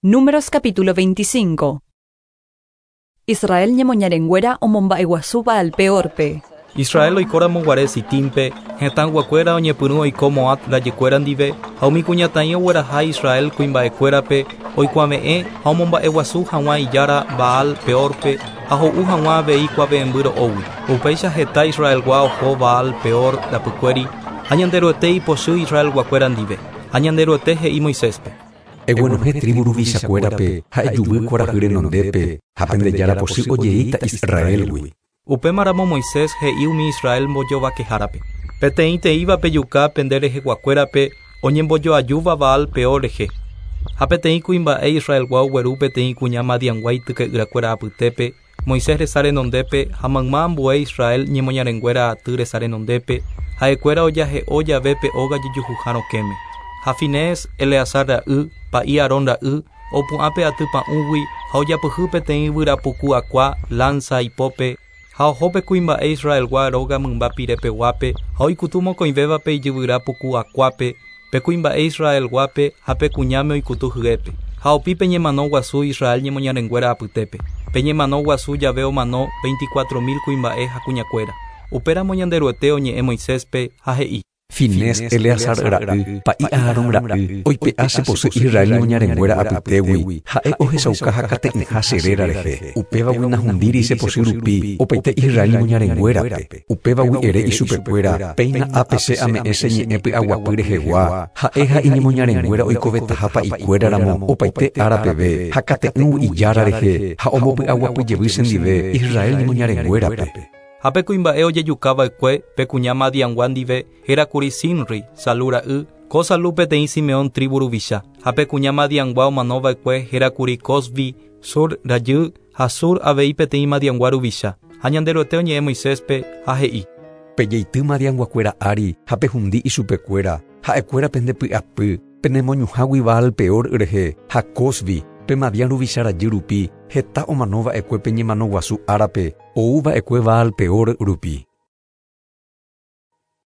Números capítulo 25. Israel ñemoñarenguéra omomba'eguasu Baal-Peórpe. Israel oikóramo guare Sitímpe, hetãyguakuéra oñepyrũ oiko Moab rajykuéra ndive, ha umi kuñataĩ ogueraha Israel kuimba'ekuérape oikuave'ẽ ha omomba'eguasu hag̃ua ijára Baal Peórpe ha ho'u hag̃ua avei kuave'ẽmby ro'ógui. Upéicha heta Israelgua oho Baal Peor rapykuéri, ha Ñanderuete ipochy Israelguakuéra ndive. Ha Ñanderuete he'i Moiséspe. Eguenohẽ tríbu ruvichakuérape ha ejuvy kuarahy renondépe, ha pende Jára pochy ojeíta Israélgui. Upémaramo Moisés he'i umi Israel mbojovakehárape, Peteĩteĩva pejuka pende reheguakuérape oñembojoajúva Baal Peor rehe. Ha peteĩ kuimba'e Israelgua ogueru peteĩ kuña Madiangua ityke'yrakuéra apytépe, Moisés resa renondépe ha mayma ambue Israel ñemoñarenguéra aty resa renondépe, ha'ekuéra ojahe'o jave pe óga jejuhuha rokẽme. Ha Finees, Eleazar ra'y, pa'i Aarón ra'y, opu'ã pe aty pa'ũgui ha ojapyhy peteĩ yvyra puku akua, lánsa, ipópe, ha oho pe kuimba'e Israelgua róga mymba pire peguápe ha oikutu mokõivévape ijyvyra puku akuápe, Pe kuimba'e Israel-guápe ha pe kuñáme oikutu hyépe, ha opi pe ñemano guasu Israel ñemoñarenguéra apytépe. Pe ñemano guasu jave omano veinticuatro mil kuimba'e ha kuñakuéra. Upéramo Ñanderuete oñe'ẽ Moiséspe, ha he'i. Finés, Eleazar ra'y, pa'i Aarón ra'y, oipe'a che pochy Israel ñemoñarenguéra apytégui, ha'e ohechauka hakate'ỹha che réra rehe. Upévagui nahundíri che pochy rupi opaite Israel ñemoñarenguérape. Upévagui ere ichupekuéra, Péina ápe che ame'ẽ che ñe'ẽ py'aguapy rehegua, ha'e ha iñemoñarenguéra oikovetaha pa'ikuéra ramo opaite ára peve, ha kate'ỹgui Ijára rehe, ha ombopy'aguapy jevy chendive Israel ñemoñarenguérape. Ha pe kuimba'e ojejuka va'ekue pe kuña Madiangua ndive héra kuri Zimri, Salú ra'y, ko Salú peteĩ Simeón trívu ruvicha. Ha pe kuña Madiangua omano va'ekue héra kuri Cozbi, Zur rajy, Ha Sur avei peteĩ Madiangua ruvicha. Ha Ñanderuete oñe'ẽ Moiséspe, ha he'i. Pejeity Madianguakuéra ári ha pehundi ichupekuéra, ha'ekuéra pende py'apy, penemoñuhãgui Baal Peor rehe ha Cozbi, pe Madian ruvicha rajy rupi, heta omano va'ekue pe ñemano guasu árape, ou va'ekue Baal Peor rupi.